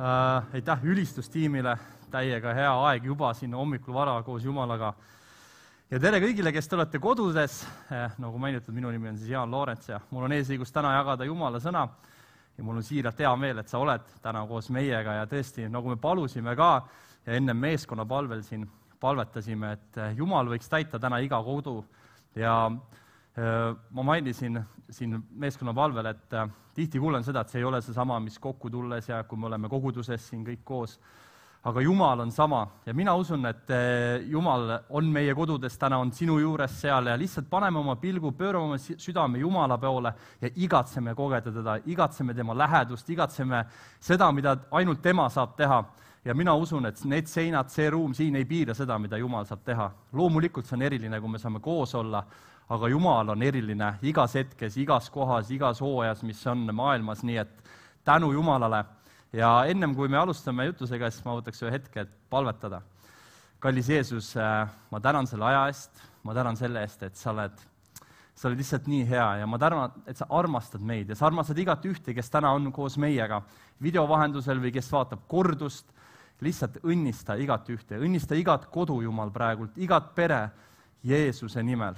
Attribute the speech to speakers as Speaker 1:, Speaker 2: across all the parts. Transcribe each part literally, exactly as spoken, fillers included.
Speaker 1: äh, aitäh ülistustiimile, täiega hea aeg juba siin hommikul vara koos Jumalaga. Ja tere kõigile, kes te olete kodudes, eh, nagu mainitud, minu nimi on siis Jaan Loorents ja mul on eesõigus täna jagada Jumala sõna ja mul on siiralt hea meel, et sa oled täna koos meiega ja tõesti, nagu me palusime ka ja enne meeskonna palvel siin palvetasime, et Jumal võiks täita täna iga kodu ja äh, ma mainisin siin meeskonna palvel, et äh, tihti kuulen seda, et see ei ole see sama, mis kokku tulles ja kui me oleme koguduses siin kõik koos, aga Jumal on sama ja mina usun, et Jumal on meie kodudes täna, on sinu juures seal ja lihtsalt paneme oma pilgu, pöörame oma südame Jumala poole ja igatseme kogeda teda, igatseme tema lähedust, igatseme seda, mida ainult tema saab teha. Ja mina usun, et need seinad, see ruum siin ei piira seda, mida Jumal saab teha. Loomulikult see on eriline, kui me saame koos olla, aga Jumal on eriline igas hetkes, igas kohas, igas hooajas, mis on maailmas, nii et tänu Jumalale. Ja ennem kui me alustame jutusega, siis ma võtaks ühe hetke, et palvetada. Kallis Jeesus, ma tänan selle aja eest, ma tänan selle eest, et sa oled, sa oled lihtsalt nii hea ja ma tänan, et sa armastad meid ja sa armastad igat ühte, kes täna on koos meiega videovahendusel või kes vaatab kordust, lihtsalt õnnista igat ühte, õnnista igat kodu, Jumal, praegult, igat pere Jeesuse nimel.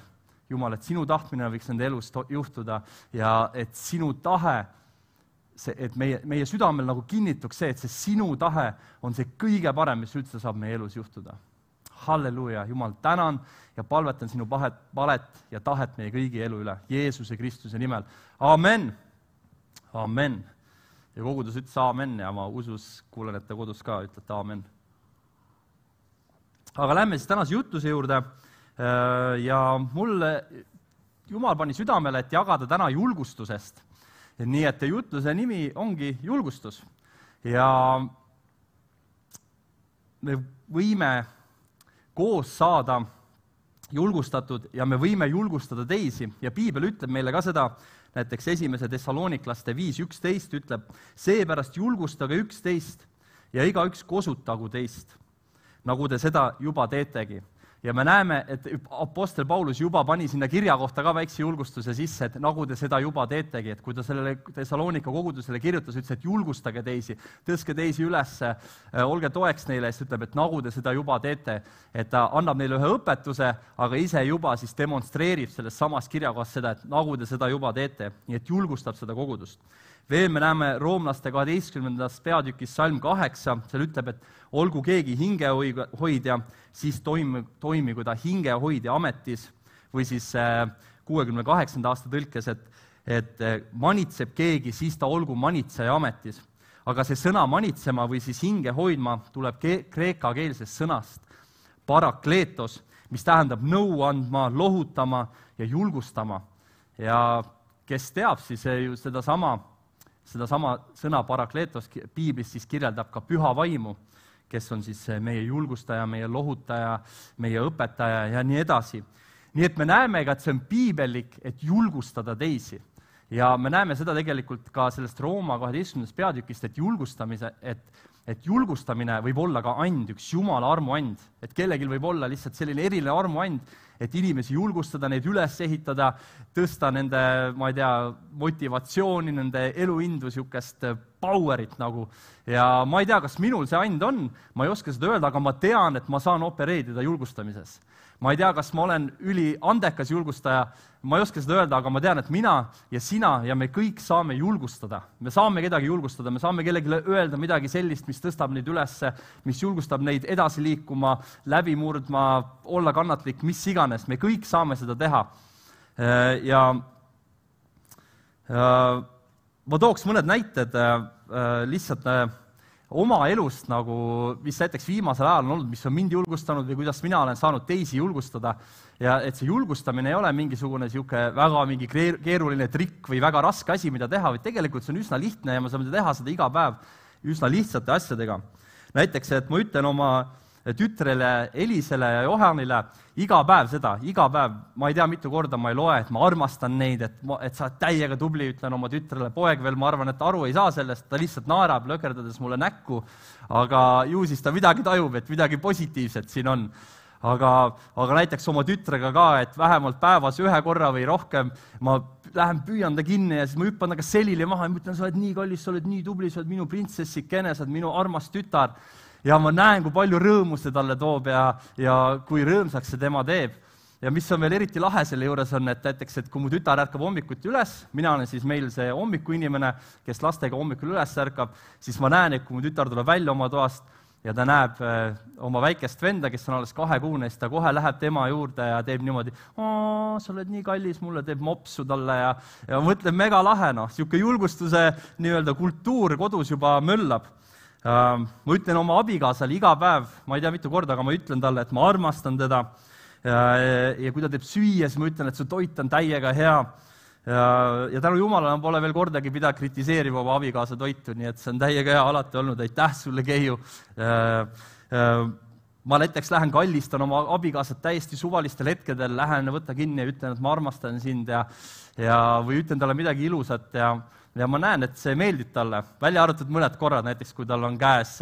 Speaker 1: Jumal, et sinu tahtmine võiks nende elus juhtuda ja et sinu tahe See, et meie, meie südamel nagu kinnituks see, et see sinu tahe on see kõige parem, mis üldse saab meie elus juhtuda. Halleluuja, Jumal, tänan ja palvetan sinu pahet, palet ja tahet meie kõigi elu üle, Jeesuse Kristuse nimel. Amen! Amen! Ja kogudus ütles amen ja ma usus, kuulen, et te kodus ka ütlete amen. Aga lähme siis tänase jutuse juurde ja mulle Jumal pani südamele, et jagada täna julgustusest. Nii et jutluse nimi ongi julgustus ja me võime koos saada julgustatud ja me võime julgustada teisi ja Piibel ütleb meile ka seda, näiteks esimese Thessaloniklaste viis üksteist ütleb, seepärast julgustage üksteist ja igaüks kosutagu teist, nagu te seda juba teetegi. Ja me näeme, et apostel Paulus juba pani sinna kirja kohta ka väikse julgustuse sisse, et nagu te seda juba teetegi, et kui ta sellele Thessalonika kogudusele kirjutas, ütles, et julgustage teisi, tõstke teisi üles, olge toeks neile, siis ütleb, et nagu te seda juba teete, et ta annab neile ühe õpetuse, aga ise juba siis demonstreerib selles samas kirjakohas seda, et nagu te seda juba teete, nii et julgustab seda kogudust. Veel me näeme roomlaste kaheteistkümnendas peatükis salm kaheksa, seal ütleb, et olgu keegi hingehoidja, siis toimi, toimigu ta hingehoidja ametis, või siis kuuekümne kaheksanda aasta tõlkes, et, et manitseb keegi, siis ta olgu manitseja ametis. Aga see sõna manitsema või siis hinge hoidma tuleb ke- kreekakeelsest sõnast parakleetos, mis tähendab nõu andma, lohutama ja julgustama. Ja kes teab, siis ju seda sama Seda sama sõna parakleetos Piiblis siis kirjeldab ka püha vaimu, kes on siis meie julgustaja, meie lohutaja, meie õpetaja ja nii edasi. Nii et me näeme ka, et see on piibellik, et julgustada teisi. Ja me näeme seda tegelikult ka sellest Rooma kaheteistkümnendast peatükist, et julgustamise, et, et julgustamine võib olla ka and, üks Jumala armuand, et kellelgi võib olla lihtsalt selline eriline armuand, et inimesi julgustada, neid üles ehitada, tõsta nende, ma ei tea, motivatsiooni, nende eluindu, niisugust powerit nagu. Ja ma ei tea, kas minul see and on, ma ei oska seda öelda, aga ma tean, et ma saan opereerida julgustamises. Ma ei tea, kas ma olen üli andekas julgustaja, ma ei oska seda öelda, aga ma tean, et mina ja sina ja me kõik saame julgustada. Me saame kedagi julgustada, me saame kellelegi öelda midagi sellist, mis tõstab neid üles, mis julgustab neid edasi liikuma, läbi murdma, olla kannatlik, mis iganes. Me kõik saame seda teha. Ja ma tooks mõned näited lihtsalt oma elust, nagu, mis näiteks viimasel ajal on olnud, mis on mind julgustanud või kuidas mina olen saanud teisi julgustada. Ja et see julgustamine ei ole mingisugune siuke väga mingi keeruline trikk või väga raske asi, mida teha, või tegelikult see on üsna lihtne ja me saame teha seda iga päev üsna lihtsate asjadega. Näiteks, et ma ütlen oma tütrele Elisele ja Johanile iga päev seda, iga päev, ma ei tea mitu korda ma ei loe, et ma armastan neid, et, ma, et sa oled täiega tubli, ütlen oma tütrele, poeg veel, ma arvan, et aru ei saa sellest, ta lihtsalt naerab, lõkerdades mulle näkku, aga ju siis ta midagi tajub, et midagi positiivset siin on. aga, aga näiteks oma tütrega ka, et vähemalt päevas ühe korra või rohkem ma lähen püüan ta kinni ja siis ma hüppan taga selili maha ja ma ütlen, sa oled nii kallis, sa oled nii tubli, sa oled minu printsessikene, sa oled minu armas tütar. Ja ma näen, kui palju rõõmu see talle toob ja, ja kui rõõmsaks see tema teeb. Ja mis on veel eriti lahe selle juures on, et näiteks, et kui mu tütar ärkab hommikuti üles, mina olen siis meil see hommikuinimene, kes lastega hommikul üles ärkab, siis ma näen, et kui mu tütar tuleb välja oma toast ja ta näeb äh, oma väikest venda, kes on alles kahekuune, siis ta kohe läheb tema juurde ja teeb niimoodi, sa oled nii kallis, mulle teeb mopsu talle ja, ja mõtleb mega lahe, noh, sihuke julgustuse nii-öelda kultuur kodus juba möllab. Uh, ma ütlen oma abikaasale iga päev, ma ei tea mitu korda, aga ma ütlen talle, et ma armastan teda ja, ja kui ta teeb süüa, siis ma ütlen, et su toit on täiega hea ja, ja tänu Jumalale ma pole veel kordagi pidanud kritiseerima oma abikaasa toitu, nii et see on täiega hea alati olnud, aitäh sulle, Keiu. Uh, uh, ma näiteks lähen kallistan oma abikaasat täiesti suvalistel hetkedel, lähen võtta kinni ja ütlen, et ma armastan sind ja, ja, või ütlen talle midagi ilusat ja ja ma näen, et see meeldib talle, välja arvatud mõned korrad, näiteks kui tal on käes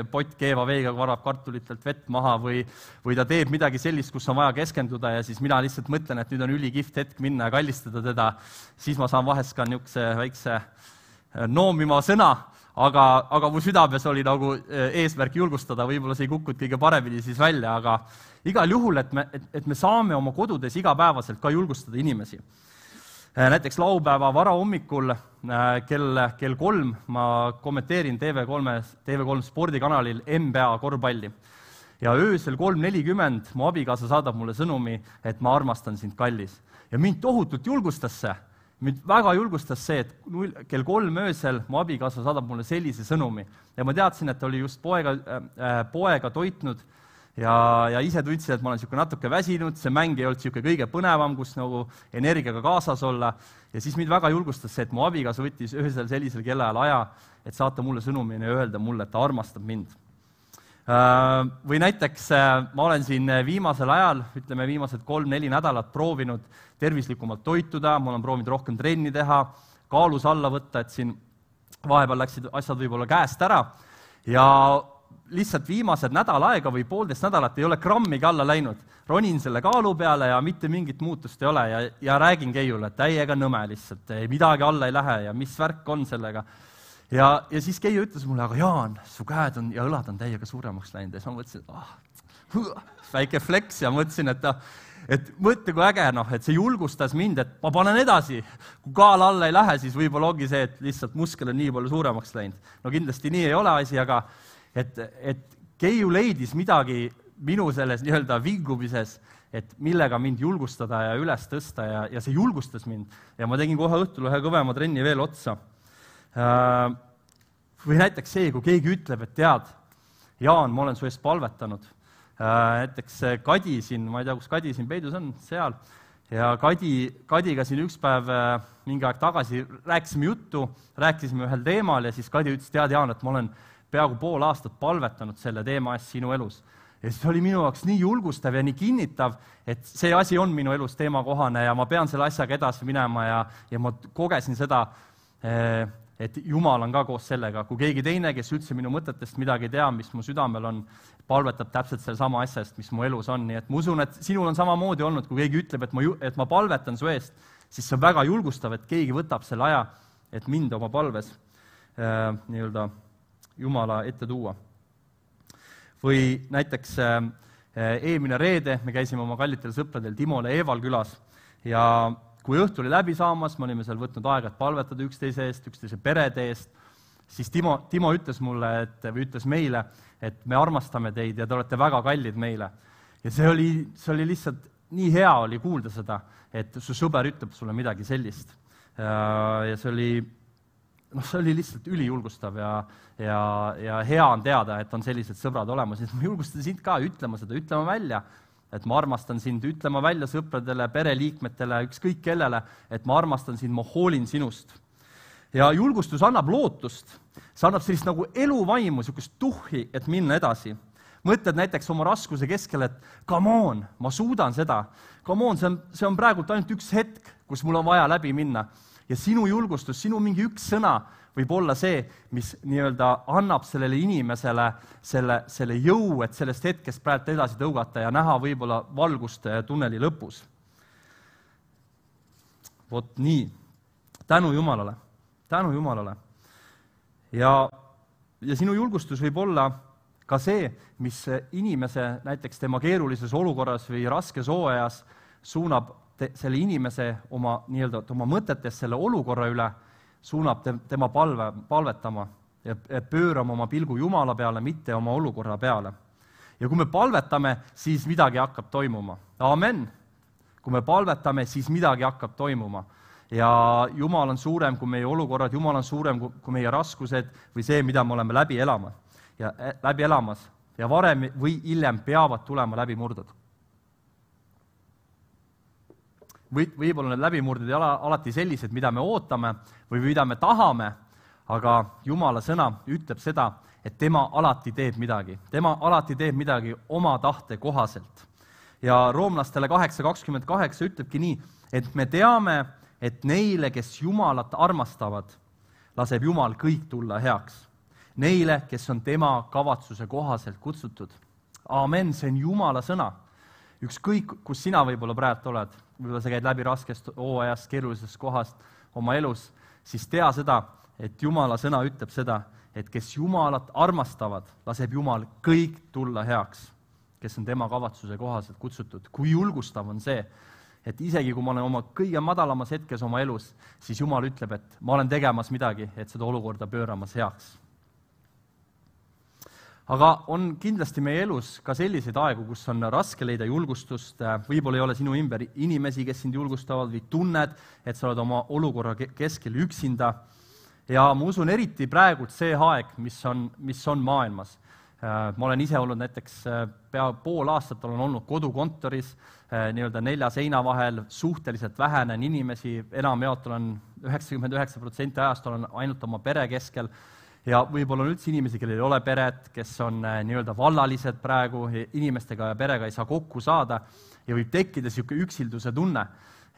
Speaker 1: pott keeva veega, varab kartulitelt vett maha või, või ta teeb midagi sellist, kus on vaja keskenduda ja siis mina lihtsalt mõtlen, et nüüd on ülikihvt hetk minna ja kallistada teda, siis ma saan vahest ka niisuguse väikse noomima sõna, aga, aga mu südames oli nagu eesmärk julgustada, võib-olla see ei kukkunud kõige paremini siis välja, aga igal juhul, et me, et, et me saame oma kodudes igapäevaselt ka julgustada inimesi. Näiteks laupäeva varahommikul kell, kell kolm ma kommenteerin T V kolm, T V kolm spordikanalil N B A korvpalli. Ja öösel kolm nelikümmend mu abikaasa saadab mulle sõnumi, et ma armastan sind, kallis. Ja mind tohutult julgustas see. Mind väga julgustas see, et kell kolm öösel mu abikaasa saadab mulle sellise sõnumi. Ja ma teadsin, et ta oli just poega, äh, poega toitnud ja, ja ise tundsin, et ma olen siuke natuke väsinud, see mäng ei olnud siuke kõige põnevam, kus nagu energiaga kaasas olla. Ja siis mind väga julgustas see, et mu abikaasa võttis öösel sellisel kellaajal aja, et saata mulle sõnumini ja öelda mulle, et ta armastab mind. Või näiteks ma olen siin viimasel ajal, ütleme viimased kolm-neli nädalat proovinud tervislikumalt toituda, ma olen proovinud rohkem trenni teha, kaalus alla võtta, et siin vahepeal läksid asjad võib-olla käest ära ja lihtsalt viimased nädal aega või poolteist nädalat ei ole grammigi alla läinud. Ronin selle kaalu peale ja mitte mingit muutust ei ole ja, ja räägin Keiule, et täiega nõme lihtsalt, midagi alla ei lähe ja mis värk on sellega. Ja, ja siis Keiu ütles mulle, aga Jaan, su käed on ja õlad on täiega suuremaks läinud ja siis ma mõtlesin, et ah, väike flex ja mõtlesin, et, et mõtle kui äge, noh, et see julgustas mind, et ma panen edasi. Kui kaal alla ei lähe, siis võib-olla ongi see, et lihtsalt muskel on nii palju suuremaks läinud. No kindlasti nii ei ole asi, aga et, et Keiu leidis midagi minu selles nii-öelda vingumises, et millega mind julgustada ja üles tõsta ja, ja see julgustas mind. Ja ma tegin kohe õhtul ühe kõvema trenni veel otsa. Või näiteks see, kui keegi ütleb, et tead, Jaan, ma olen su eest palvetanud. Näiteks Kadi siin, ma ei tea, kus Kadi siin peidus on, seal. Ja Kadi, Kadiga siin üks päev mingi aeg tagasi rääkisime juttu, rääkisime ühel teemal ja siis Kadi ütles, tead Jaan, et ma olen peaaegu pool aastat palvetanud selle teema eest sinu elus. Ja see oli minu jaoks nii julgustav ja nii kinnitav, et see asi on minu elus teemakohane ja ma pean selle asjaga edasi minema ja, ja ma kogesin seda, et Jumal on ka koos sellega. Kui keegi teine, kes üldse minu mõtetest midagi tea, mis mu südamel on, palvetab täpselt selle sama asjast, mis mu elus on. Nii et ma usun, et sinul on samamoodi olnud, kui keegi ütleb, et ma, et ma palvetan su eest, siis see on väga julgustav, et keegi võtab selle aja, et mind oma palves äh, nii-öelda Jumala ette tuua. Või näiteks äh, eelmine reede me käisime oma kallitel sõpradel Timole Eeval külas ja kui õhtu oli läbi saamas, me olime seal võtnud aega, et palvetada üksteise eest, üksteise perede eest, siis Timo, Timo ütles mulle, et, või ütles meile, et me armastame teid ja te olete väga kallid meile. Ja see oli, see oli lihtsalt nii hea oli kuulda seda, et su sõber ütleb sulle midagi sellist. Ja see oli, noh, see oli lihtsalt ülijulgustav ja, ja, ja hea on teada, et on sellised sõbrad olemas. Ja ma julgustan sind ka ütlema seda, ütlema välja, et ma armastan sind, ütlema välja sõpradele, pereliikmetele, ükskõik kellele, et ma armastan sind, ma hoolin sinust. Ja julgustus annab lootust, see annab sellist nagu eluvaimu, niisugust tuhhi, et minna edasi. Mõtled näiteks oma raskuse keskel, et come on, ma suudan seda, come on, see on, see on praegult ainult üks hetk, kus mul on vaja läbi minna. ja sinu julgustus, sinu mingi üks sõna võib olla see, mis nii-öelda annab sellele inimesele selle, selle jõu, et sellest hetkest praegu edasi tõugata ja näha võib-olla valgust tunneli lõpus. Vot nii. Tänu Jumalale. Tänu Jumalale. Ja, ja sinu julgustus võib olla ka see, mis inimese näiteks tema keerulises olukorras või raskes hooajas suunab te, selle inimese oma, nii-öelda, oma mõtetes selle olukorra üle, suunab te, tema palve, palvetama ja pöörama oma pilgu Jumala peale, mitte oma olukorra peale. Ja kui me palvetame, siis midagi hakkab toimuma. Amen! Kui me palvetame, siis midagi hakkab toimuma. Ja Jumal on suurem kui meie olukorrad, Jumal on suurem kui meie raskused või see, mida me oleme läbi elama. ja läbi elamas ja varem või hiljem peavad tulema läbimurded. Või, võib-olla need läbimurded ei ole alati sellised, mida me ootame või mida me tahame, aga Jumala sõna ütleb seda, et tema alati teeb midagi. Tema alati teeb midagi oma tahte kohaselt. Ja roomlastele kaheksa kakskümmend kaheksa ütlebki nii, et me teame, et neile, kes Jumalat armastavad, laseb Jumal kõik tulla heaks. Neile, kes on tema kavatsuse kohaselt kutsutud. Amen, see on Jumala sõna. Ükskõik, kus sina võib-olla praegu oled, võib-olla sa käid läbi raskest hooajast, keerulisest kohast oma elus, siis tea seda, et Jumala sõna ütleb seda, et kes Jumalat armastavad, laseb Jumal kõik tulla heaks, kes on tema kavatsuse kohaselt kutsutud. Kui julgustav on see, et isegi kui ma olen oma kõige madalamas hetkes oma elus, siis Jumal ütleb, et ma olen tegemas midagi, et seda olukorda pööramas heaks. Aga on kindlasti meie elus ka selliseid aegu, kus on raske leida julgustust, võib-olla ei ole sinu ümber inimesi, kes sind julgustavad või tunned, et sa oled oma olukorra keskel üksinda. Ja ma usun eriti praegu see aeg, mis on, mis on maailmas. Ma olen ise olnud näiteks pea pool aastat olen olnud kodukontoris, nii-öelda nelja seina vahel, suhteliselt vähenen inimesi, enamjaolt olen üheksakümmend üheksa protsenti ajast olen ainult oma pere keskel, ja võib-olla on üldse inimesi, kellel ei ole peret, kes on nii-öelda vallalised praegu, inimestega ja perega ei saa kokku saada ja võib tekkida niisugune üksilduse tunne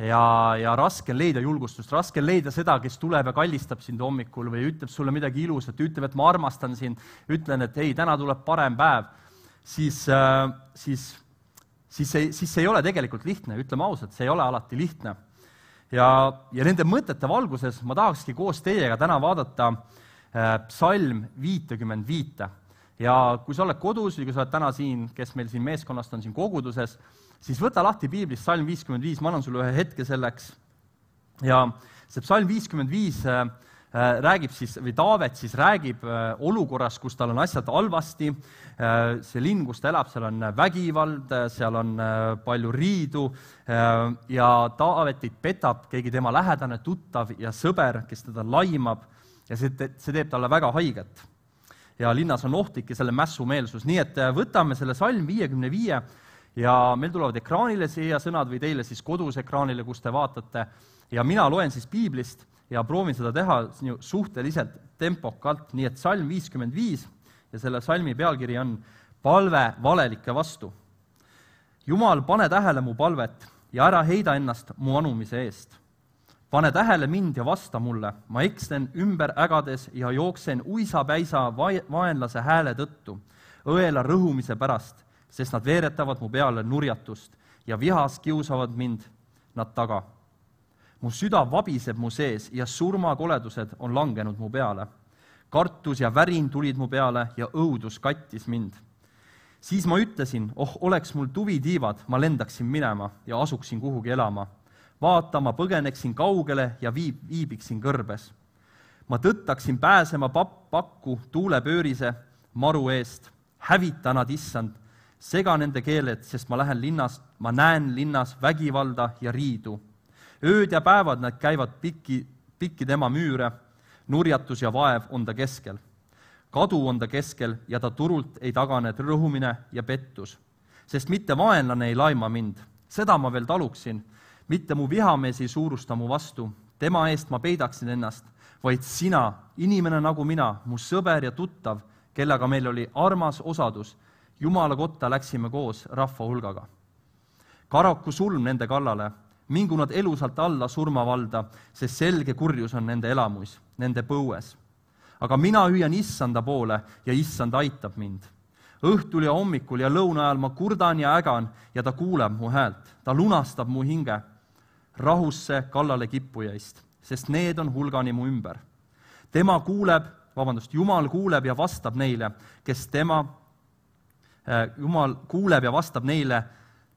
Speaker 1: ja, ja raske leida julgustust, raske leida seda, kes tuleb ja kallistab sind hommikul või ütleb sulle midagi ilusat, ütleb, et ma armastan sind, ütlen, et ei, täna tuleb parem päev, siis, siis, siis, see, siis see ei ole tegelikult lihtne, ütleme ausalt, see ei ole alati lihtne. Ja, ja nende mõtete valguses ma tahakski koos teiega täna vaadata psalm viitekümmend viite. Ja kui sa oled kodus või kui sa oled täna siin, kes meil siin meeskonnast on siin koguduses, siis võta lahti piiblist psalm viiskümmend viis, ma annan sulle ühe hetke selleks. Ja see psalm viiskümmend viis räägib siis, või Taavet siis räägib olukorras, kus tal on asjad halvasti, see linn, kus ta elab, seal on vägivald, seal on palju riidu ja Taavetit petab keegi tema lähedane, tuttav ja sõber, kes teda laimab ja see, see teeb talle väga haiget. Ja linnas on ohtlik ja selle mässumeelsus. Nii et võtame selle salm viiekümne viie ja meil tulevad ekraanile siia sõnad või teile siis kodus ekraanile, kus te vaatate. Ja mina loen siis piiblist ja proovin seda teha suhteliselt tempokalt. Nii et salm viiskümmend viis ja selle salmi pealkiri on palve valelike vastu. Jumal, pane tähele mu palvet ja ära heida ennast mu anumise eest. Pane tähele mind ja vasta mulle, ma ekslen ümber ägades ja jooksen uisapäisa vaenlase hääle tõttu, õela rõhumise pärast, sest nad veeretavad mu peale nurjatust ja vihas kiusavad mind nad taga. Mu süda vabiseb mu sees ja surmakoledused on langenud mu peale. Kartus ja värin tulid mu peale ja õudus kattis mind. Siis ma ütlesin, oh, oleks mul tuvitiivad, ma lendaksin minema ja asuksin kuhugi elama. Vaata, ma põgeneksin kaugele ja viib, viibiksin kõrbes. Ma tõttaksin pääsema papp, pakku tuulepöörise maru eest. Hävita nad, issand, sega nende keeled, sest ma lähen linnast, ma näen linnas vägivalda ja riidu. Ööd ja päevad nad käivad pikki, pikki tema müüre, nurjatus ja vaev on ta keskel. Kadu on ta keskel ja ta turult ei tagane rõhumine ja pettus. Sest mitte vaenlane ei laima mind, seda ma veel taluksin, mitte mu vihamees ei suurusta mu vastu, tema eest ma peidaksin ennast, vaid sina, inimene nagu mina, mu sõber ja tuttav, kellega meil oli armas osadus, Jumala kotta läksime koos rahva hulgaga. Karaku sulm nende kallale, mingu nad elusalt alla surmavalda, sest selge kurjus on nende elamuis, nende põues. Aga mina hüüan issanda poole ja issand aitab mind. Õhtul ja hommikul ja lõuna ajal ma kurdan ja ägan ja ta kuuleb mu häält. Ta lunastab mu hinge rahusse kallale kippujaist, sest need on hulgani mu ümber. Tema kuuleb, vabandust, Jumal kuuleb ja vastab neile, kes tema, Jumal kuuleb ja vastab neile,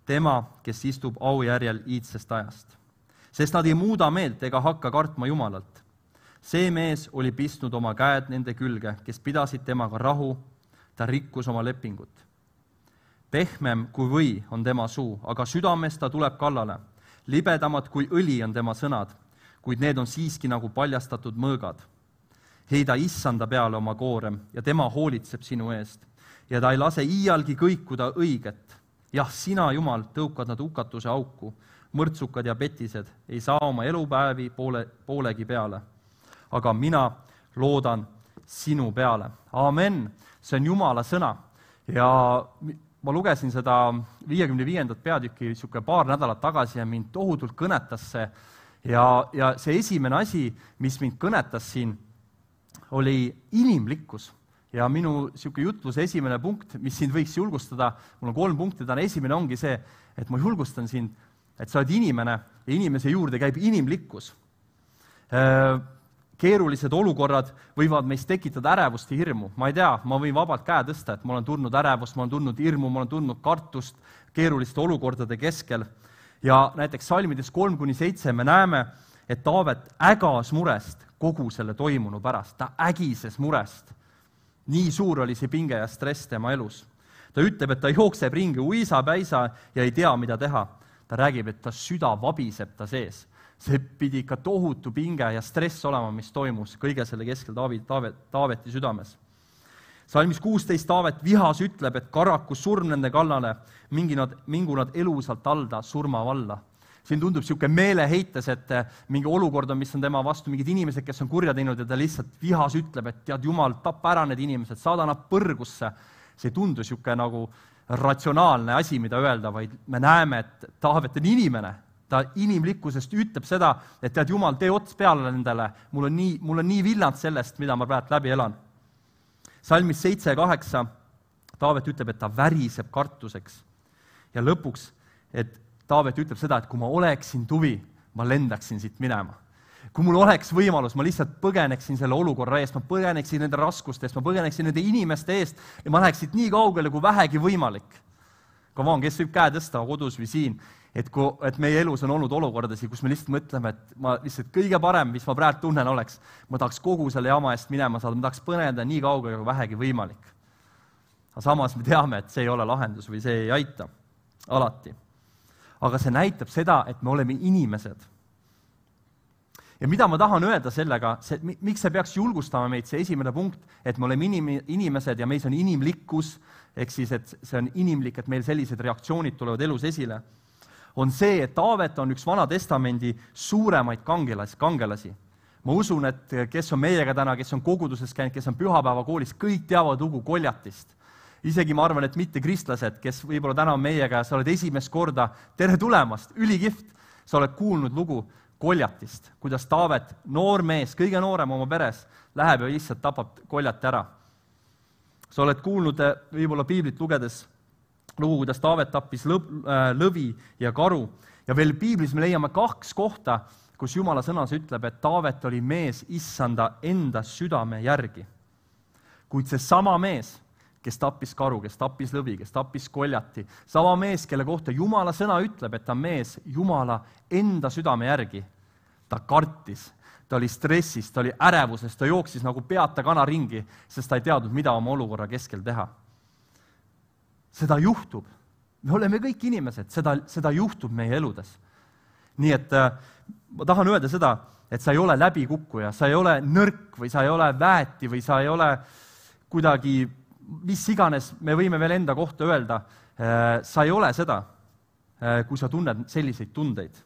Speaker 1: tema, kes istub aujärjel iidsest ajast. Sest nad ei muuda meelt ega hakka kartma Jumalalt. See mees oli pistnud oma käed nende külge, kes pidasid temaga rahu, ta rikkus oma lepingut. Pehmem kui või on tema suu, aga südames ta tuleb kallale. Libedamad kui õli on tema sõnad, kuid need on siiski nagu paljastatud mõõgad. Heida issanda peale oma koorem ja tema hoolitseb sinu eest ja ta ei lase iialgi kõikuda õiget. Jah, sina, Jumal, tõukad nad hukatuse auku, mõrtsukad ja petised ei saa oma elupäevi poole, poolegi peale. Aga mina loodan sinu peale. Amen. See on Jumala sõna. Ja ma lugesin seda viiekümne viiendat peatükki niisugune paar nädalat tagasi ja mind tohutult kõnetas see. Ja, ja see esimene asi, mis mind kõnetas siin, oli inimlikkus. Ja minu niisugune jutluse esimene punkt, mis sind võiks julgustada, mul on kolm punkti, täna esimene ongi see, et ma julgustan sind, et sa oled inimene ja inimese juurde käib inimlikkus. Keerulised olukorrad võivad meist tekitada ärevust ja hirmu. Ma ei tea, ma võin vabalt käe tõsta, et ma olen tundnud ärevust, ma olen tundnud hirmu, ma olen tundnud kartust keeruliste olukordade keskel. Ja näiteks salmides kolm kuni seitse me näeme, et Taavet ägas murest kogu selle toimunu pärast. Ta ägises murest. Nii suur oli see pinge ja stress tema elus. Ta ütleb, et ta jookseb ringi uisa-päisa ja ei tea, mida teha. Ta räägib, et ta süda vabiseb ta sees. See pidi ikka tohutu pinge ja stress olema, mis toimus kõige selle keskel Taavet, Taavet, Taaveti südames. Salmis kuusteist Taavet vihas ütleb, et karaku surm nende kallale, mingi nad, mingu nad elusalt alda surma valla. Siin tundub niisugune meeleheites, et mingi olukord on, mis on tema vastu, mingid inimesed, kes on kurja teinud ja ta lihtsalt vihas ütleb, et tead, Jumal, tappa ära need inimesed, saada nad põrgusse. See ei tundu niisugune nagu ratsionaalne asi, mida öelda, vaid me näeme, et Taavet on inimene. Ta inimlikkusest ütleb seda, et tead, Jumal, tee ots peale nendele, mul on nii, mul on nii villand sellest, mida ma praegu läbi elan. Salmis seitse ja kaheksa Taavet ütleb, et ta väriseb kartuseks. Ja lõpuks, et Taavet ütleb seda, et kui ma oleksin tuvi, ma lendaksin siit minema. Kui mul oleks võimalus, ma lihtsalt põgeneksin selle olukorra eest, ma põgeneksin nende raskuste eest, ma põgeneksin nende inimeste eest ja ma läheksin nii kaugele, kui vähegi võimalik. Come on, kes võib käe tõsta kodus või siin, et, kui, et meie elus on olnud olukordasi, kus me lihtsalt mõtleme, et ma lihtsalt kõige parem, mis ma praegu tunnen oleks, ma tahaks kogu selle jama eest minema saada, ma tahaks põneda nii kaugele, kui vähegi võimalik. Aga samas me teame, et see ei ole lahendus või see ei aita alati. Aga see näitab seda, et me oleme inimesed. Ja mida ma tahan öelda sellega, see, miks see peaks julgustama meid, see esimene punkt, et me oleme inim, inimesed ja meis on inimlikkus, ehk siis, et see on inimlik, et meil sellised reaktsioonid tulevad elus esile, on see, et Taavet on üks Vana Testamendi suuremaid kangelasi. kangelasi. Ma usun, et kes on meiega täna, kes on koguduses käinud, kes on pühapäevakoolis, kõik teavad lugu Koljatist. Isegi ma arvan, et mitte kristlased, kes võib-olla täna on meiega ja sa oled esimest korda, tere tulemast, ülikiht, sa oled kuulnud lugu Koljatist, kuidas Taavet, noor mees, kõige noorem oma peres, läheb ja lihtsalt tapab Koljati ära. Sa oled kuulnud võib-olla piiblit lugedes lugu, kuidas Taavet tappis lõvi ja karu. Ja veel piiblis me leiame kaks kohta, kus Jumala sõnas ütleb, et Taavet oli mees issanda enda südame järgi. Kuid see sama mees, kes tappis karu, kes tappis lõvi, kes tappis Koljati. Sama mees, kelle kohta Jumala sõna ütleb, et ta mees Jumala enda südame järgi. Ta kartis, ta oli stressis, ta oli ärevuses, ta jooksis nagu peata kana ringi, sest ta ei teadnud, mida oma olukorra keskel teha. Seda juhtub. Me oleme kõik inimesed, seda, seda juhtub meie eludes. Nii et äh, ma tahan öelda seda, et sa ei ole läbikukkuja, sa ei ole nõrk või sa ei ole väeti või sa ei ole kuidagi mis iganes, me võime veel enda kohta öelda, sa ei ole seda, kui sa tunned selliseid tundeid.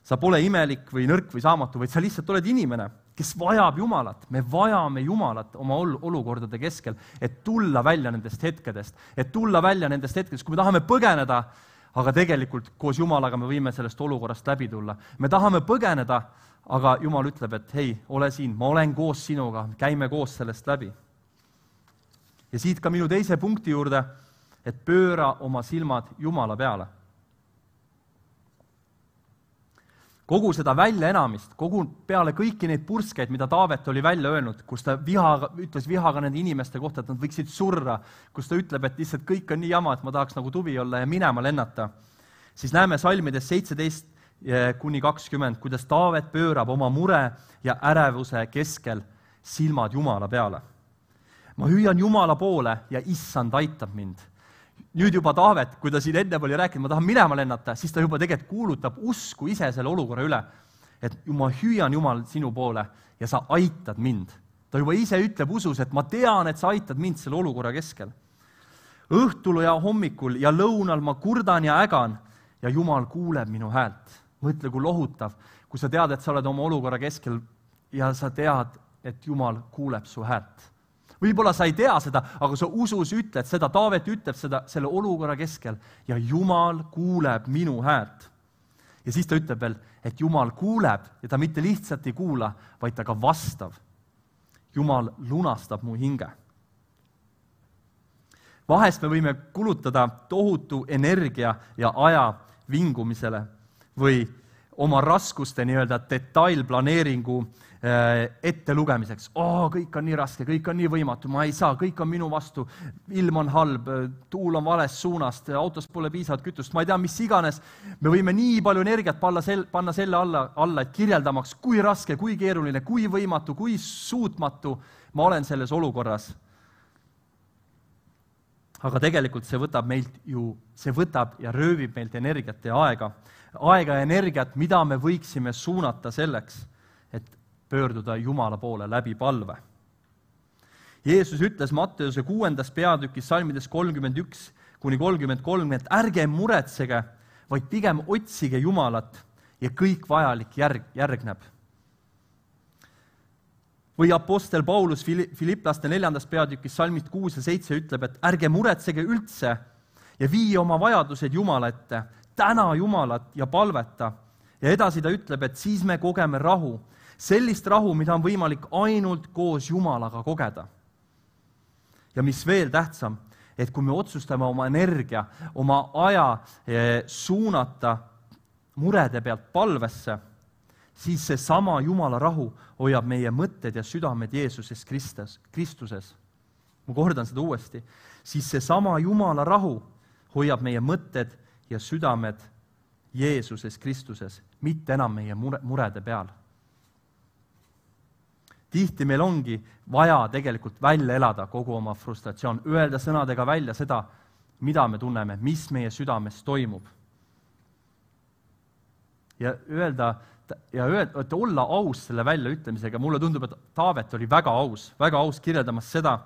Speaker 1: Sa pole imelik või nõrk või saamatu, vaid sa lihtsalt oled inimene, kes vajab Jumalat. Me vajame Jumalat oma olukordade keskel, et tulla välja nendest hetkedest, et tulla välja nendest hetkedest, kui me tahame põgeneda, aga tegelikult koos Jumalaga me võime sellest olukorrast läbi tulla. Me tahame põgeneda, aga Jumal ütleb, et hei, ole siin, ma olen koos sinuga, käime koos sellest läbi. Ja siit ka minu teise punkti juurde, et pööra oma silmad Jumala peale. Kogu seda väljaenamist, kogu peale kõiki neid purskeid, mida Taavet oli välja öelnud, kus ta vihaga, ütles vihaga nende inimeste kohta, et nad võiksid surra, kus ta ütleb, et lihtsalt kõik on nii jama, et ma tahaks nagu tuvi olla ja minema lennata, siis näeme salmides seitseteist kuni kakskümmend, kuidas Taavet pöörab oma mure ja ärevuse keskel silmad Jumala peale. Ma hüüan Jumala poole ja issand aitab mind. Nüüd juba Taavet, kui ta siin enne oli rääkinud, ma tahan minema lennata, siis ta juba tegelikult kuulutab usku ise selle olukorra üle, et ma hüüan Jumal sinu poole ja sa aitad mind. Ta juba ise ütleb usus, et ma tean, et sa aitad mind selle olukorra keskel. Õhtul ja hommikul ja lõunal ma kurdan ja ägan ja Jumal kuuleb minu häält. Mõtle, kui lohutav, kui sa tead, et sa oled oma olukorra keskel ja sa tead, et Jumal kuuleb su häält. Võib-olla sa ei tea seda, aga sa usus ütled seda, Taavet ütleb seda selle olukorra keskel ja Jumal kuuleb minu häält. Ja siis ta ütleb veel, et Jumal kuuleb ja ta mitte lihtsalt ei kuula, vaid ta ka vastav. Jumal lunastab mu hinge. Vahest me võime kulutada tohutu energia ja aja vingumisele või oma raskuste nii-öelda detailplaneeringu ette lugemiseks. Oo, kõik on nii raske, kõik on nii võimatu, ma ei saa, kõik on minu vastu, ilm on halb, tuul on valest suunast, autos pole piisavalt kütust, ma ei tea, mis iganes. Me võime nii palju energiat panna selle alla, alla, et kirjeldamaks, kui raske, kui keeruline, kui võimatu, kui suutmatu ma olen selles olukorras. Aga tegelikult see võtab meilt ju, see võtab ja röövib meilt energiat ja aega. Aega ja energiat, mida me võiksime suunata selleks, et pöörduda Jumala poole läbi palve. Jeesus ütles Matteuse kuuendas peatükis salmides kolmkümmend üks kuni kolmkümmend kolm, et ärge muretsege, vaid pigem otsige Jumalat ja kõik vajalik järg, järgneb. Või apostel Paulus Filipplaste neljandas peatükis salmist kuus ja seitse ütleb, et ärge muretsege üldse ja vii oma vajadused Jumala ette, täna Jumalat ja palveta. Ja edasi ta ütleb, et siis me kogeme rahu, sellist rahu, mida on võimalik ainult koos Jumalaga kogeda. Ja mis veel tähtsam, et kui me otsustame oma energia, oma aja suunata murede pealt palvesse, siis see sama Jumala rahu hoiab meie mõtted ja südamed Jeesuses Kristus, Kristuses. Ma kordan seda uuesti. Siis see sama Jumala rahu hoiab meie mõtted ja südamed Jeesuses Kristuses, mitte enam meie mure, murede peal. Tihti meil ongi vaja tegelikult välja elada kogu oma frustratsioon, öelda sõnadega välja seda, mida me tunneme, mis meie südames toimub. Ja öelda, ja öelda, et olla aus selle väljaütlemisega, mulle tundub, et Taavet oli väga aus, väga aus kirjeldamas seda,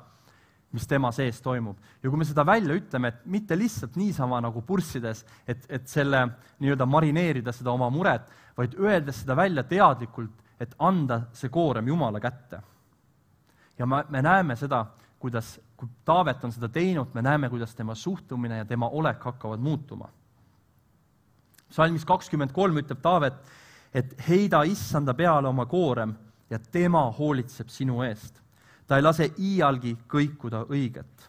Speaker 1: mis tema sees toimub. Ja kui me seda välja ütleme, et mitte lihtsalt niisama nagu purssides, et, et selle nii-öelda marineerida seda oma muret, vaid öeldes seda välja teadlikult, et anda see koorem Jumala kätte. Ja me, me näeme seda, kuidas, kui Taavet on seda teinud, me näeme, kuidas tema suhtumine ja tema olek hakkavad muutuma. Salmis kakskümmend kolm ütleb Taavet, et heida issanda peale oma koorem ja tema hoolitseb sinu eest. Ta ei lase iialgi kõikuda õiget.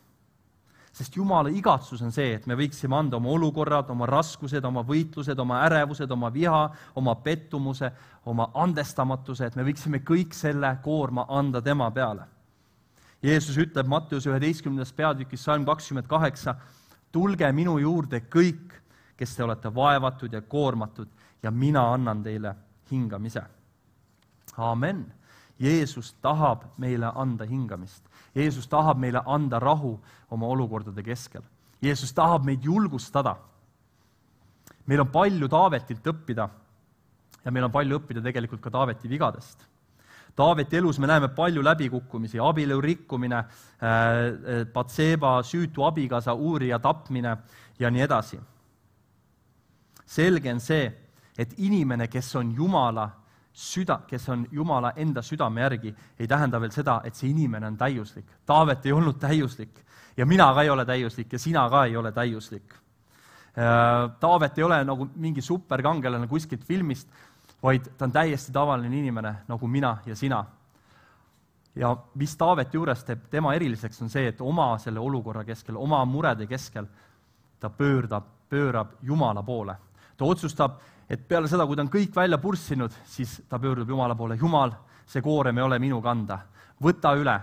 Speaker 1: Sest Jumala igatsus on see, et me võiksime anda oma olukorrad, oma raskused, oma võitlused, oma ärevused, oma viha, oma pettumuse, oma andestamatuse, et me võiksime kõik selle koorma anda tema peale. Jeesus ütleb Matteuse üheteistkümnendas peatükis salm kakskümmend kaheksa, tulge minu juurde kõik, kes te olete vaevatud ja koormatud ja mina annan teile hingamise. Amen. Jeesus tahab meile anda hingamist. Jeesus tahab meile anda rahu oma olukordade keskel. Jeesus tahab meid julgustada. Meil on palju Taavetilt õppida ja meil on palju õppida tegelikult ka Taaveti vigadest. Taaveti elus me näeme palju läbikukkumisi, abielu rikkumine, Batseba süütu abikaasa uurija tapmine ja nii edasi. Selge on see, et inimene, kes on Jumala süda, kes on Jumala enda südame järgi, ei tähenda veel seda, et see inimene on täiuslik. Taavet ei olnud täiuslik ja mina ka ei ole täiuslik ja sina ka ei ole täiuslik. Taavet ei ole nagu mingi superkangelane kuskilt filmist, vaid ta on täiesti tavaline inimene nagu mina ja sina. Ja mis Taaveti juures teeb tema eriliseks on see, et oma selle olukorra keskel, oma murede keskel ta pöördab, pöörab Jumala poole. Ta otsustab, et peale seda, kui ta on kõik välja purssinud, siis ta pöördub Jumala poole. Jumal, see koorem ei ole minu kanda. Võta üle,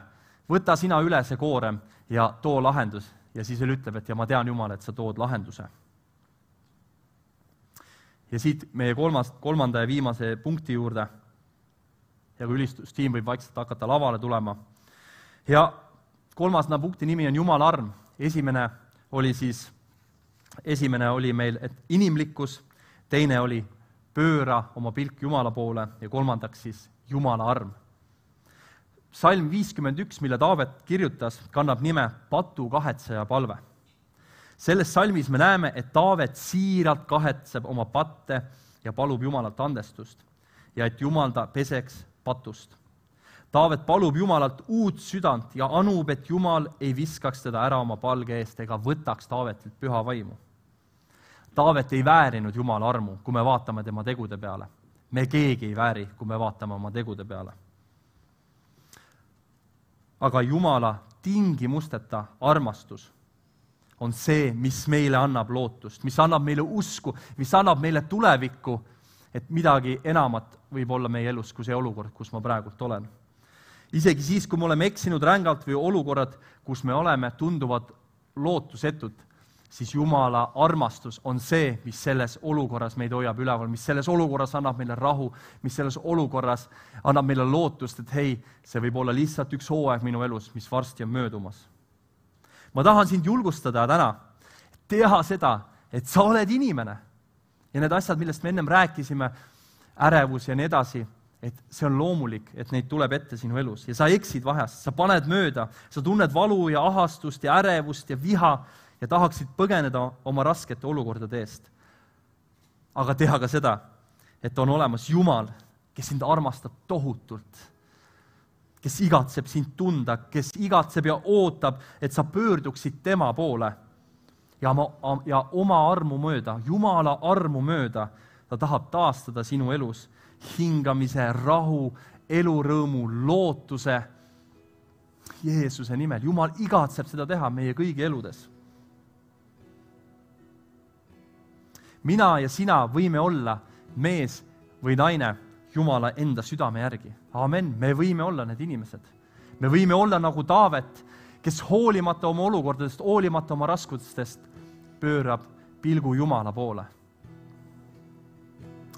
Speaker 1: võta sina üle see koorem ja too lahendus. Ja siis veel ütleb, et ja ma tean Jumal, et sa tood lahenduse. Ja siit meie kolmas, kolmanda ja viimase punkti juurde. Ja kui ülistustiim võib vaikselt hakata lavale tulema. Ja kolmas punkti nimi on Jumala arm. Esimene oli siis, esimene oli meil, et inimlikkus, teine oli pööra oma pilk Jumala poole ja kolmandaks siis Jumala arm. Salm viiskümmend üks, mille Taavet kirjutas, kannab nime patu kahetseja palve. Selles salmis me näeme, et Taavet siiralt kahetseb oma patte ja palub Jumalalt andestust ja et Jumal ta peseks patust. Taavet palub Jumalalt uut südant ja anub, et Jumal ei viskaks teda ära oma palge eest ega võtaks Taavetilt püha vaimu. Taavet ei väärinud Jumala armu, kui me vaatame tema tegude peale. Me keegi ei vääri, kui me vaatame oma tegude peale. Aga Jumala tingimusteta armastus on see, mis meile annab lootust, mis annab meile usku, mis annab meile tulevikku, et midagi enamat võib olla meie elus kui see olukord, kus ma praegult olen. Isegi siis, kui me oleme eksinud rängalt või olukorrad, kus me oleme tunduvad lootusetud, siis Jumala armastus on see, mis selles olukorras meid hoiab üleval, mis selles olukorras annab meile rahu, mis selles olukorras annab meile lootust, et hei, see võib olla lihtsalt üks hooaeg minu elus, mis varsti on möödumas. Ma tahan sind julgustada täna, teha seda, et sa oled inimene. Ja need asjad, millest me ennem rääkisime, ärevus ja nii edasi, et see on loomulik, et neid tuleb ette sinu elus. Ja sa eksid vahest, sa paned mööda, sa tunned valu ja ahastust ja ärevust ja viha ja tahaksid põgeneda oma raskete olukordade eest. Aga teha ka seda, et on olemas Jumal, kes sind armastab tohutult, kes igatseb sind tunda, kes igatseb ja ootab, et sa pöörduksid tema poole ja, ma, ja oma armu mööda, Jumala armu mööda, ta tahab taastada sinu elus hingamise, rahu, elurõõmu, lootuse Jeesuse nimel. Jumal igatseb seda teha meie kõigi eludes. Mina ja sina võime olla mees või naine Jumala enda südame järgi. Amen, me võime olla need inimesed. Me võime olla nagu Taavet, kes hoolimata oma olukordadest, hoolimata oma raskustest, pöörab pilgu Jumala poole.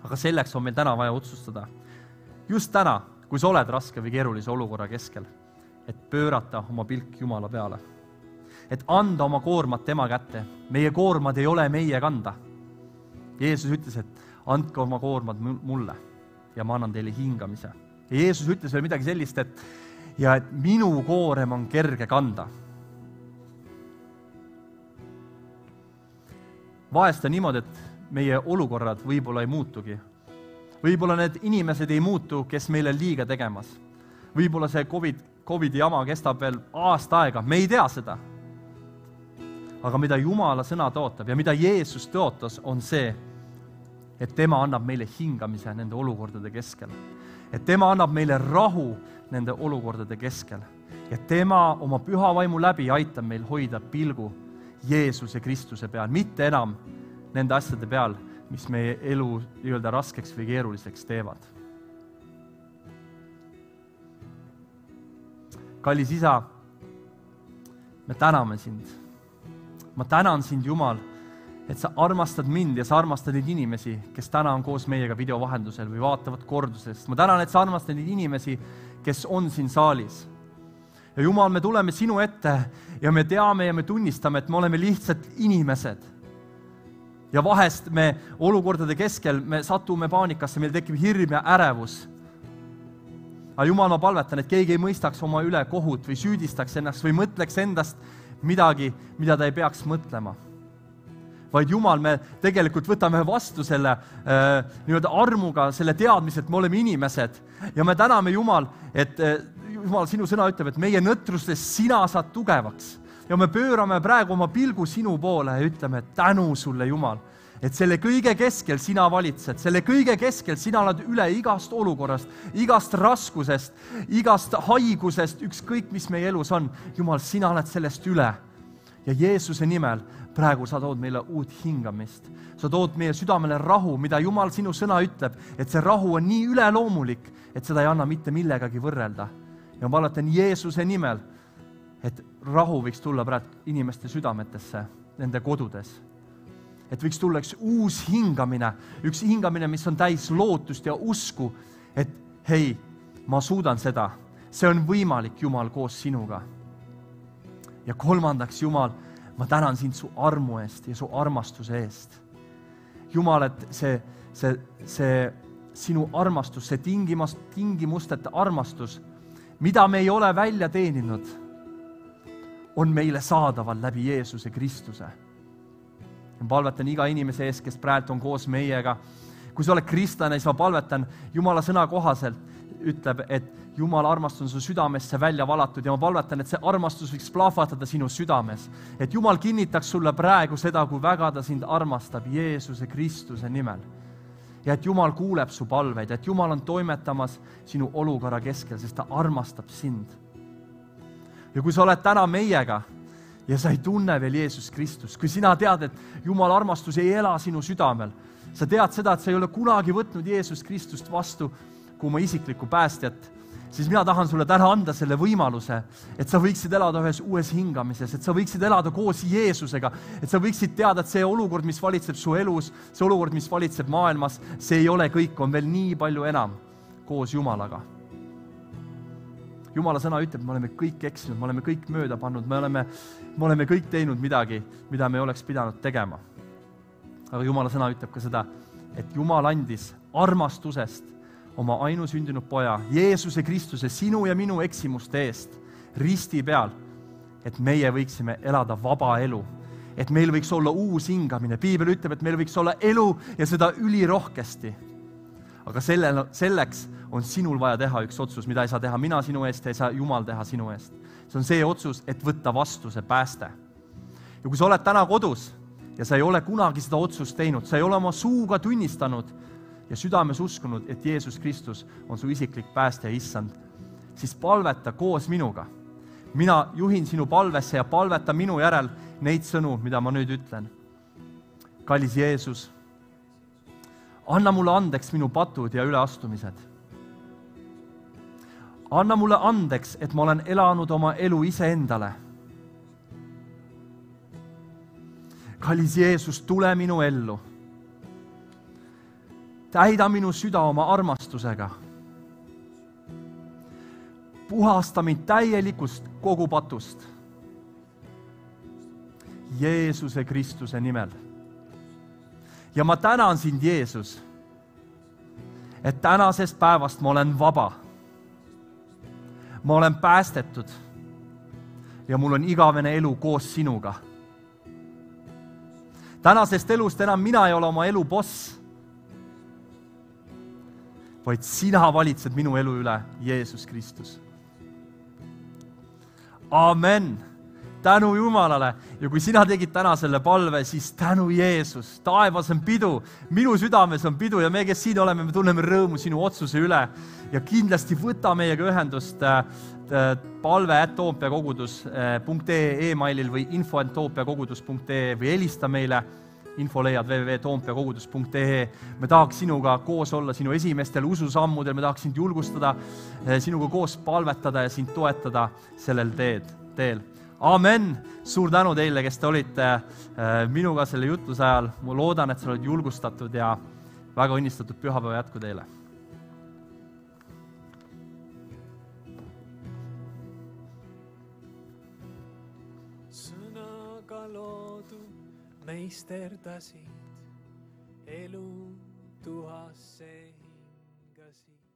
Speaker 1: Aga selleks on meil täna vaja otsustada. Just täna, kui sa oled raske või keerulise olukorra keskel, et pöörata oma pilk Jumala peale. Et anda oma koormat tema kätte. Meie koormad ei ole meie kanda. Jeesus ütles, et andke oma koormad mulle ja ma annan teile hingamise. Ja Jeesus ütles veel midagi sellist, et, ja et minu koorem on kerge kanda. Vahest on niimoodi, et meie olukorrad võib-olla ei muutugi. Võib-olla need inimesed ei muutu, kes meile liiga tegemas. Võib-olla see COVID, COVID jama kestab veel aasta aega, me ei tea seda. Aga mida Jumala sõna tõotab ja mida Jeesus tõotas, on see, et tema annab meile hingamise nende olukordade keskel. Et tema annab meile rahu nende olukordade keskel. Ja tema oma püha vaimu läbi aitab meil hoida pilgu Jeesuse Kristuse peal, mitte enam nende asjade peal, mis meie elu nii-öelda raskeks või keeruliseks teevad. Kallis isa, me täname sind. Ma tänan sind, Jumal, et sa armastad mind ja sa armastad neid inimesi, kes täna on koos meiega video vahendusel või vaatavad kordusest. Ma tänan, et sa armastad neid inimesi, kes on siin saalis. Ja Jumal, me tuleme sinu ette ja me teame ja me tunnistame, et me oleme lihtsalt inimesed. Ja vahest me olukordade keskel me satume paanikasse, meil tekib hirm ja ärevus. Aga Jumal, ma palvetan, et keegi ei mõistaks oma üle kohut või süüdistaks ennast või mõtleks endast midagi, mida ta ei peaks mõtlema. Vaid Jumal, me tegelikult võtame vastu selle äh, nii-öelda armuga, selle teadmise, et me oleme inimesed. Ja me täname Jumal, et äh, Jumal, sinu sõna ütleb, et meie nõtrustes sina saad tugevaks. ja me pöörame praegu oma pilgu sinu poole ja ütleme tänu sulle, Jumal, et selle kõige keskel sina valitsed, selle kõige keskel sina oled üle igast olukorrast, igast raskusest, igast haigusest, ükskõik mis meie elus on. Jumal, sina oled sellest üle. Ja Jeesuse nimel praegu sa tood meile uut hingamist. Sa tood meie südamele rahu, mida Jumal sinu sõna ütleb, et see rahu on nii üleloomulik, et seda ei anna mitte millegagi võrrelda. Ja ma palvetan Jeesuse nimel, et rahu võiks tulla praegu inimeste südametesse, nende kodudes. Et võiks tulla üks uus hingamine, üks hingamine, mis on täis lootust ja usku, et hei, ma suudan seda. See on võimalik, Jumal, koos sinuga. Ja kolmandaks, Jumal, ma tänan sind su armu eest ja su armastuse eest. Jumal, et see, see, see sinu armastus, see tingimus, tingimusteta armastus, mida me ei ole välja teeninud, on meile saadaval läbi Jeesuse Kristuse. Ma palvetan iga inimese ees, kes praegu on koos meiega. Kui sa oled kristlane, siis ma palvetan Jumala sõna kohaselt, ütleb, et Jumala armastus on su südamesse välja valatud ja ma palvetan, et see armastus võiks plahvatada sinu südames. Et Jumal kinnitaks sulle praegu seda, kui väga ta sind armastab Jeesuse Kristuse nimel. Ja et Jumal kuuleb su palveid, et Jumal on toimetamas sinu olukorra keskel, sest ta armastab sind. Ja kui sa oled täna meiega ja sa ei tunne veel Jeesus Kristus, kui sina tead, et Jumala armastus ei ela sinu südamel, sa tead seda, et sa ei ole kunagi võtnud Jeesus Kristust vastu kui oma isiklikku päästjat, siis mina tahan sulle täna anda selle võimaluse, et sa võiksid elada ühes uues hingamises, et sa võiksid elada koos Jeesusega, et sa võiksid teada, et see olukord, mis valitseb su elus, see olukord, mis valitseb maailmas, see ei ole kõik, on veel nii palju enam koos Jumalaga. Jumala sõna ütleb, me oleme kõik eksinud, me oleme kõik mööda pannud, me oleme, me oleme kõik teinud midagi, mida me oleks pidanud tegema. Aga Jumala sõna ütleb ka seda, et Jumal andis armastusest oma ainusündinud poja, Jeesuse Kristuse, sinu ja minu eksimuste eest risti peal, et meie võiksime elada vaba elu, et meil võiks olla uus hingamine. Piibel ütleb, et meil võiks olla elu ja seda ülirohkesti. Aga selle, selleks on sinul vaja teha üks otsus, mida ei saa teha mina sinu eest ja ei saa Jumal teha sinu eest. See on see otsus, et võtta vastu see pääste. Ja kui sa oled täna kodus ja sa ei ole kunagi seda otsust teinud, sa ei ole oma suuga tunnistanud ja südames uskunud, et Jeesus Kristus on su isiklik pääste ja issand, siis palveta koos minuga. Mina juhin sinu palvesse ja palveta minu järel neid sõnu, mida ma nüüd ütlen. Kallis Jeesus, anna mulle andeks minu patud ja üleastumised. Anna mulle andeks, et ma olen elanud oma elu iseendale. Kallis Jeesus, tule minu ellu. Täida minu süda oma armastusega. Puhasta mind täielikust kogu patust. Jeesuse Kristuse nimel. Ja ma tänan sind, Jeesus, et tänasest päevast ma olen vaba. Ma olen päästetud ja mul on igavene elu koos sinuga. Tänasest elust enam mina ei ole oma elu boss, vaid sina valitsed minu elu üle, Jeesus Kristus. Amen. Tänu Jumalale. Ja kui sina tegid täna selle palve, siis tänu Jeesus. Taevas on pidu, minu südames on pidu ja me, kes siin oleme, me tunneme rõõmu sinu otsuse üle. Ja kindlasti võta meiega ühendust palve at toompeakogudus punkt ee e-mailil või info at toompeakogudus punkt ee või helista meile. Info leiad w w w punkt toompeakogudus punkt ee. Me tahaks sinuga koos olla sinu esimestel ususammudel, me tahaks sind julgustada, sinuga koos palvetada ja sind toetada sellel teed, teel. Amen! Suur tänu teile, kes te olite minuga selle jutluse ajal. Ma loodan, et sa oled julgustatud ja väga õnnistatud pühapäeva jätku teile.
Speaker 2: Sõnaga loodu meisterdasid, elu tuhasse hingasid.